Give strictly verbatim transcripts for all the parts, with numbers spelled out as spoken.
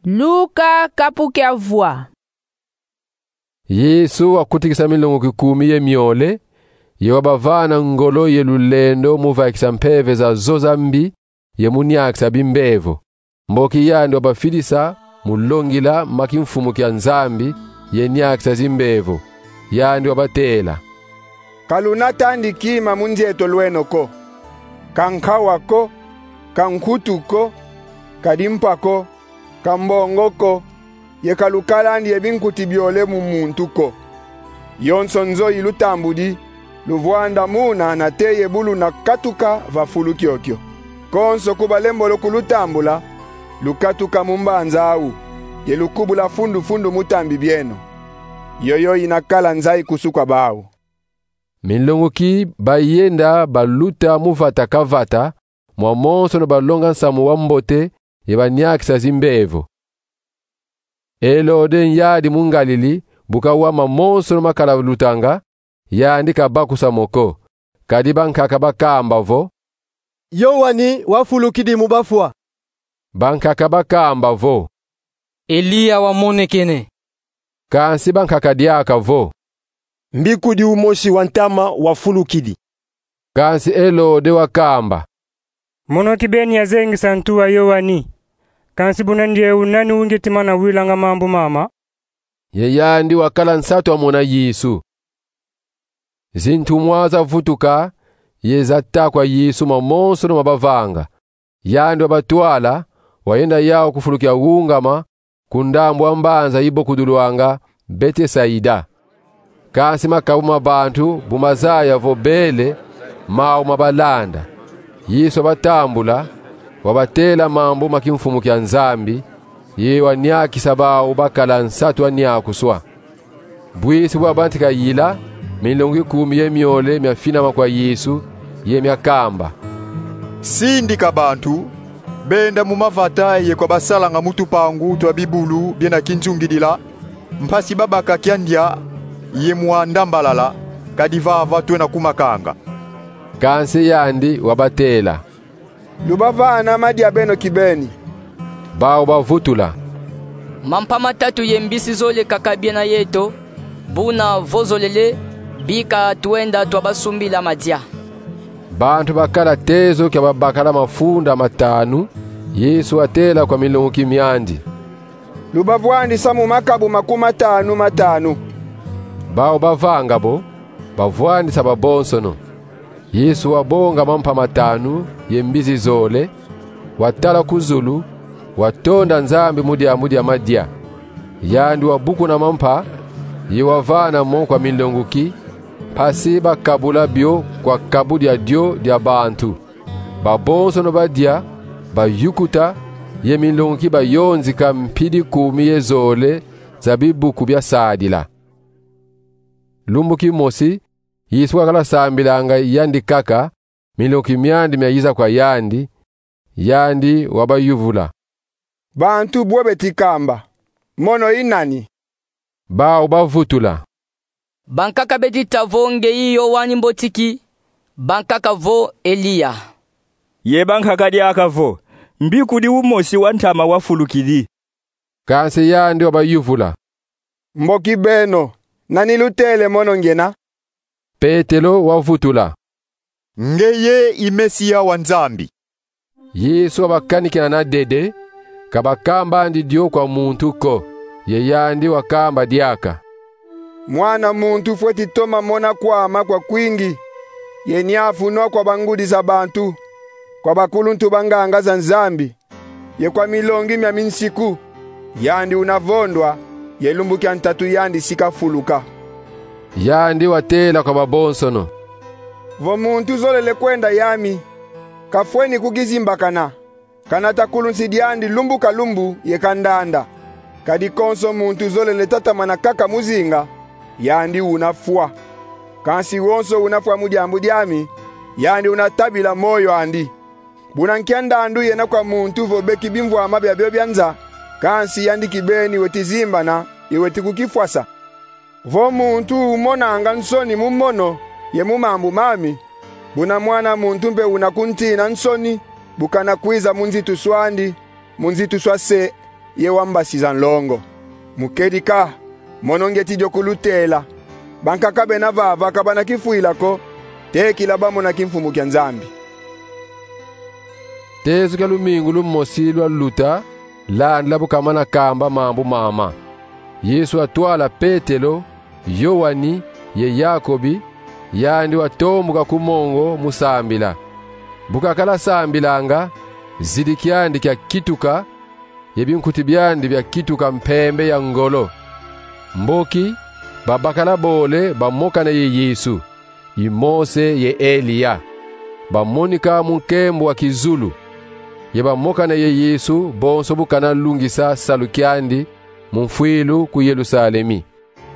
Luka kapu kia vwa. Yesu wakutikisa minlonguki kumi ye miole, ye wabavana ngolo ye lulendo mu vaikisa mpeve zazo za mbi ye mu niakisa bimbevo. Mboki yandi wabafidisa mu longila ma kimfumu kia Nzambi ye niakisa zimbevo, yandi wabatela: Ka luna tandi kima mu nzieto lweno ko, ka nkawa ko, ka nkutu ko, ka dimpa ko, ka mbongo ko, ye ka lukalandi ye binkuti biole mu muntu ko. Yonso nzo ilutambudi, luvwanda muna nate ye bu luna katuka va fulu kiokio. Konso ku balembolo kulutambula, lukatuka mu mbanza awu, ye lukubula fundu-fundu mu tambi bieno. Yoyo inakala nzayi kusu kwa bawu. Minlonguki bayenda baluta mu vata ka vata, mwa monsono balonga nsamu wa mbote ye baniakisa zimbevo. Elode nyadi mu Ngalili, bu kawa mamonsono makala lutanga, yandi kabakusa mo ko. Kadi bankaka bakamba vo: Yowani wafulukidi mu bafwa. Bankaka bakamba vo: Eliya wamonekene. Kansi bankaka diaka vo: Mbikudi umosi wa ntama wafulukidi. Kansi Elode wakamba: Mono kibeni yazengisa ntu wa Yowani. Kansi buna ndieu nani ungeti mana wilanga mambu mama? Ye yandi wakala nsatu amona Yesu. Zintumwa zavutuka ye zata kwa Yesu mamonsono mabavanga. Yandi wabatwala, wayenda yawu ku fulu kia wungama, ku ndambu a mbanza ibokudulwanga Betesaida. Kansi makabu ma bantu bu mazaya vo bele, mawu mabalanda. Yesu wabatambula, wabatela mambu ma kimfumu kia Nzambi, ye waniakisa bawu bakala nsatu aniakuswa. Bwisi bwabantika yila, minlonguki kumi ye miole miafinama kwa Yesu, ye miakamba: Sindika bantu benda mu mavata ye kwa basalanga mu tupangu twa bibulu biena kinzungidila, mpasi babaka kia ndia ye mwanda mbalala, kadi vava twena kumakanga. Kansi yandi wabatela: Lubavana madia beno kibeni. Bawu bavutula: Mampa matatu ye mbisi zole kaka biena yeto, buna vo zolele, bika twenda twabasumbila madia. Bantu bakala tezo kia babakala mafunda matanu. Yesu watela kwa minlonguki miandi: Lubavwandisa mu makabu makumi matanu matanu. Bawu bavanga bo, bavwandisa babonsono. Yesu wabonga mampa matanu ye mbisi zole, watala ku zulu, watonda Nzambi mu diambu dia madia. Yandi wabukuna mampa, ye wavana mo kwa minlonguki, mpasi bakabula bio kwa kabu dia dio dia bantu. Babonsono badia, bayukuta, ye minlonguki bayonzika mpidi kumi ye zole za bibuku bia sadila. Lumbu kimosi, Yesu wakala sambilanga yandi kaka, minlonguki miandi miayiza kwa yandi, yandi wabayuvula: Bantu bwe beti kamba, mono i nani? Bawu bavutula: Bankaka beti ta vo ngeye Yowani Mbotiki, bankaka vo Eliya. Ye bankaka diaka vo: Mbikudi umosi wa ntama wafulukidi. Kansi yandi wabayuvula: Mboki beno, nani lutele mono ngena? Petelo wavutula: Ngeye i Mesiya wa Nzambi. Yesu wabakanikina na dede, ka bakambandi dio kwa muntu ko, ye yandi wakamba diaka: Mwana muntu fweti toma mona kwama kwa kwingi, ye niafu nwa kwa bangudi za bantu, kwa bakuluntu ba nganga za Nzambi, ye kwa milongi mia minsiku, yandi una vondwa, ye lumbu kia ntatu yandi si kafuluka. Yandi watela kwa babonsono: Vo muntu zolele kwenda yami, kafweni kukizimbakana, kanata kulunsi diandi lumbu ka lumbu ye kandanda. Kadi konso muntu zolele tatamana kaka mu zinga, yandi una fwa. Kansi wonso una fwa mu diambu diami, yandi una tabila moyo andi. Buna nkia ndandu yena kwa muntu vo beki bimvwama biabio bia nza, kansi yandi kibeni weti zimbana, ye weti kukifwasa? Vo muntu umonanga nsoni mu mono ye mu mambu mami, buna Mwana muntu mpe una kuntina nsoni, bu kana kwiza mu nzitusu andi, mu nzitusu a se, ye wambasiza nlongo. Mu kedika, mono ngieti dio kulutela. Bankaka bena vava ka bana kifwila ko, tekila bamona kimfumu kia Nzambi. Tezo kia lumingu lumosi lwaluta, landa bu kamana kamba mambu mama, Yesu watwala Petelo, Yoani, ye Yakobi, yandi watombuka ku mongo mu sambila. Bu kakala sambilanga, zidi kiandi kiakituka, ye binkuti biandi biakituka mpembe ya ngolo. Mboki, babakala bole bamokana ye Yesu, i Mose ye Eliya. Bamonika mu nkembo wa kizulu, ye bamokana ye Yesu bonso bu kana lungisa salu kiandi mu mfwilu ku Yerusalemi.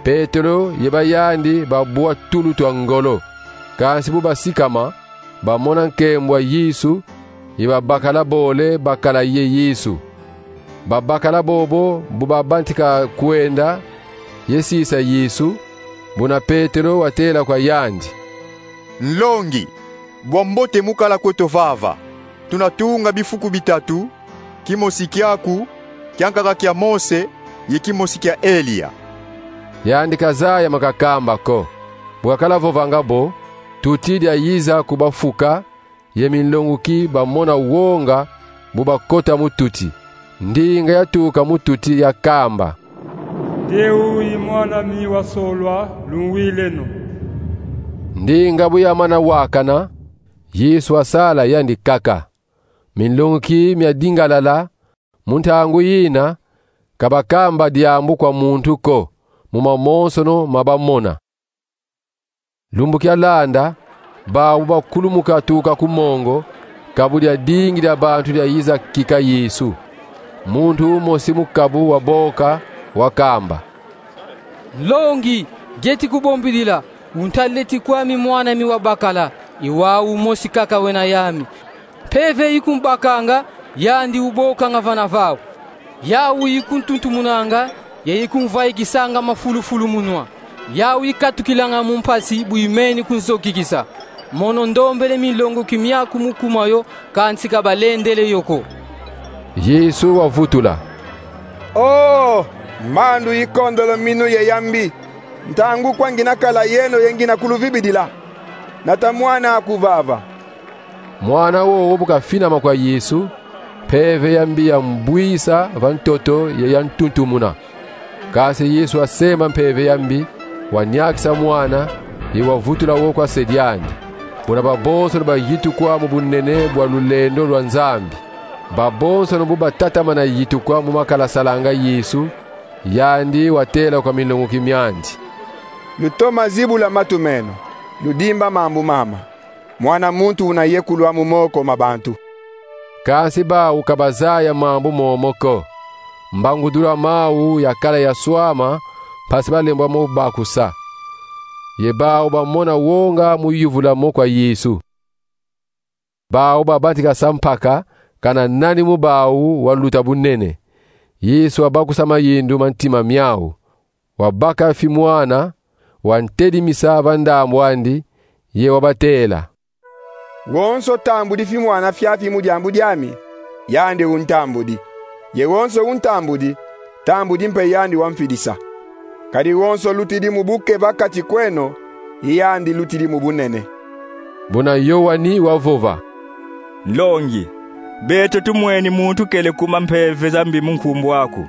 Petelo ye bayandi babwa tulu twa ngolo. Kansi bu basikama, bamona nkembo wa Yesu, ye babakala bole bakala ye Yesu. Babakala bobo bu babantika kwenda ye sisa Yesu, buna Petelo watela kwa yandi: Nlongi, bwa mbote mu kala kweto vava. Tuna tunga bifuku bitatu, kimosi kiaku, kiankaka kia Mose, ye kimosi kia Eliya. Yandi kazaya ma kakamba ko. Bu kakala vovanga bo, tuti diayiza ku bafuka, ye minlonguki bamona wonga bu bakota mu tuti. Ndinga yatuka mu tuti yakamba: Nde u i Mwan'ami wasolwa, lungwileno. Ndinga bu yamana wakana, Yesu wasala yandi kaka. Minlonguki miadingalala, mu ntangu yina, ka bakamba diambu kwa muntu ko, mu mamonsono ma bamona. Lumbu kialanda, bau bakulumuka tuka ku mongo, kabu diadingi dia bantu diayiza kika Yesu. Muntu umosi mu kabu waboka, wakamba: Nlongi, ngieti kubombidila, untaleti kwami mwan'ami wabakala, i wau umosi kaka wena yami. Mpeve ikumbakanga, yandi ubokanga vana vau. Yau ikuntuntumunanga, ye ikumvaikisanga mafulufulu mu nwa. Yau ikatukilanga mu mpasi bu imeni kunzokikisa. Mono ndombele minlonguki miaku mu kuma yo, kansi ka balendele yo ko. Yesu wavutula: O, mbandu ikondolo minu ye ya mbi, ntangu kwa ngina kala yeno ye ngina kuluvibidila? Nata mwan'aku vava. Mwana wowo bu kafinama kwa Yesu, mpeve ya mbi yambwisa va ntoto ye yantuntumuna. Kansi Yesu wasema mpeve ya mbi, waniakisa mwana, ye wavutula wo kwa se diandi. Buna babonsono bayitukwa mu bunene bwa lulendo lwa Nzambi. Babonsono bu batatamana yitukwa mu ma kala salanga Yesu, yandi watela kwa minlonguki miandi: Lutoma zibula matu meno, ludimba mambu mama. Mwana muntu una yekulwa mu moko ma bantu. Kansi bau ka bazaya mambu momo ko. Mbangudula mau yakala yaswama, mpasi balembwa mo bakusa. Ye bau bamona wonga mu yuvula mo kwa Yesu. Bau babantika sampaka, kana nani mu bau waluta bunene. Yesu wabakusa mayindu ma ntima miau. Wabaka fi mwana, wantedimisa va ndambu andi, ye wabatela: Wonso tambudi fi mwana fiafi mu diambu diami, yandi untambudi. Ye wonso untambudi, tambudi mpe yandi wamfidisa. Kadi wonso lutidi mu buke va kati kweno, i yandi lutidi mu bunene. Buna Yoani wavova: Nlongi, beto tumweni muntu kele kuma mpeve za mbi mu nkumbu aku.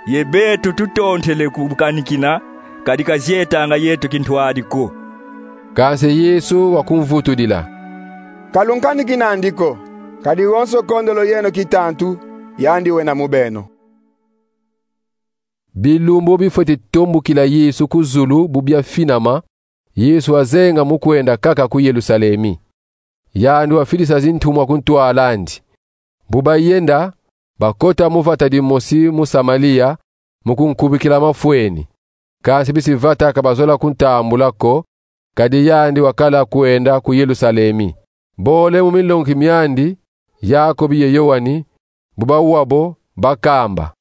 Ye beto tutontele kukanikina, kadi kazietanga yeto kintwadi ko. Kansi Yesu wakumvutudila: Ka lunkanikina andi ko, kadi wonso kondolo yeno kitantu, yandi wena mu beno. Bilumbu bifwete tombukila Yesu ku zulu bu biafinama, Yesu wazenga mu kwenda kaka ku Yerusalemi. Yandi wafidisa zintumwa ku ntwala andi. Bu bayenda, bakota mu vata dimosi mu Samaria, mu kunkubikila mafweni. Kansi bisi vata ka bazola kuntambula ko, kadi yandi wakala kwenda ku Yerusalemi. Bole mu minlonguki miandi, Yakobi ye Yoani, bu bawa bo, bakamba: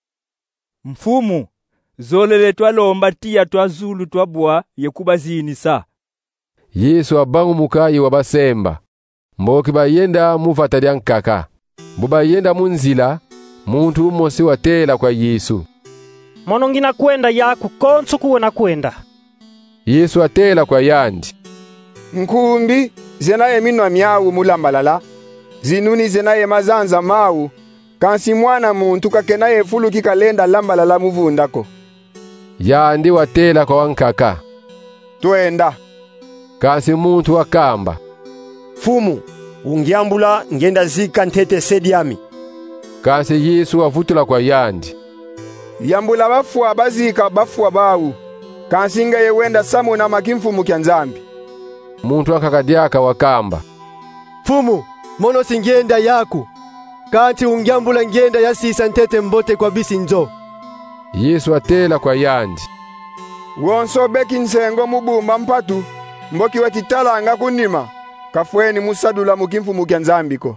Mfumu, zolele twalomba tiya twa zulu twabwa ye kubazinisa. Yesu wabangumuka ye wabasemba. Mboki bayenda mu vata diankaka. Bu bayenda mu nzila, Muntu umosi watela kwa Yesu: Mono ngina kwenda yaku konso ku wena kwenda. Yesu watela kwa yandi: Nkumbi zena ye minwa miau mu lambalala, zinuni zena ye mazanza mau, kansi Mwana muntu kakena ye fulu ki kalenda lambalala mu vunda ko. Yandi watela kwa wankaka: Twenda. Kansi muntu wakamba: Mfumu, ungiambula, ngienda zika ntete se diami. Kansi Yesu wavutula kwa yandi: Yambula bafwa bazika bafwa bau, kansi ngeye wenda samuna ma kimfumu kia Nzambi. Muntu wankaka diaka wakamba: Mfumu, mono si ngienda yaku, kansi ungiambula, ngienda yasisa ntete mbote kwa bisi nzo. Yesu watela kwa yandi: Wonso beki nsengo mu bumba mpatu, mboki weti talanga ku nima, kafweni mu sadula mu kimfumu kia Nzambi ko.